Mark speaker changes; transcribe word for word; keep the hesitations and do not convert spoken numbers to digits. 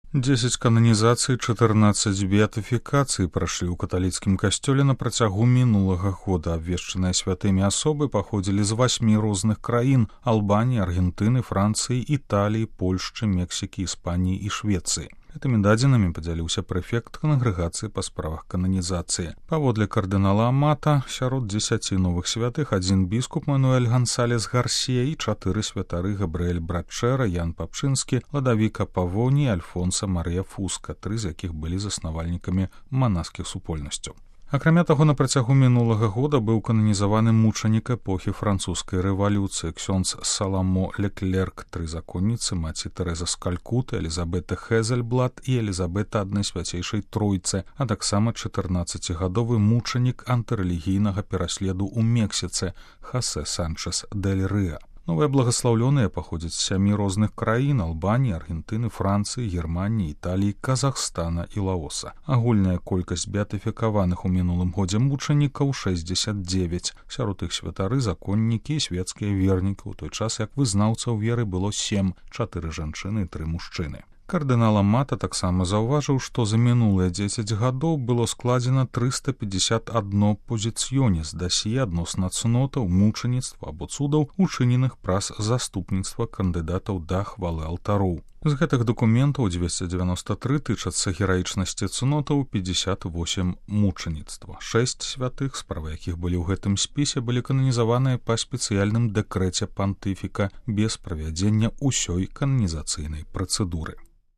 Speaker 1: Дзесяць кананізацый, чатырнаццаць беатыфікацый прайшлі ў каталіцкім касцёле на працягу мінулага года. Абвешчаныя святымі асобы паходзілі з васьмі розных краін: Албаніі, Аргентыны, Францыі, Італіі, Польшчы, Мексікі, Іспаніі і Швецыі. Гэтымі дадзенымі падзяліўся прэфект кангрэгацыі па справах кананізацыі. Паводле кардынала Амата, сярод дзесяці новых святых адзін біскуп Мануэль Гансалес Гарсія і чатыры святары: Габрыэль Братчэра, Ян Папчынскі, Ладавіка Павоні, Альфонса Марыя Фуска, тры з якіх былі заснавальнікамі манаскіх супольнасцяў. Акрамя таго, на працягу мінулага года быў кананізаваны мучанік эпохі французскай рэвалюцыі ксёндз Саламо Леклерк, тры законніцы, маці Тэрэза з Калькуты, Элізабета Хезельблат і Элізабета аднай свяцейшай тройцы, а таксама чатырнаццацігадовы мучанік антырэлігійнага пераследу ў Мексіцы Хасе Санчес дель Рыа. Новыя благаслаўлёныя паходзяць з сямі розных краін: Албаніі, Аргентыны, Францыі, Германіі, Італіі, Казахстана і Лаоса. Агульная колькасць беатыфікаваных у мінулым годзе мучанікаў шэсцьдзесят дзевяць. Сярод іх святары, законнікі і свецкія вернікі, у той час як вызнаўцаў веры было сем, чатыры жанчыны і тры мужчыны. Кардынал Амата таксама заўважыў, што за мінулыя дзесяць гадоў было складзена трыста пятьдесят одно позіцыёніс дасье адносна цнотаў, мучаніцтва або цудаў, учыненых праз заступніцтва кандыдатаў да хвалы алтароў. З гэтых дакументаў дзвесце дзевяноста тры тычацца гераічнасці цнотаў, пятьдесят восемь мучаніцтва. Шэсць святых, справы якіх былі ў гэтым спісе, былі кананізаваныя па спецыяльным дэкрэце пантыфіка без правядзення ўсёй кананізацыйнай працэдуры.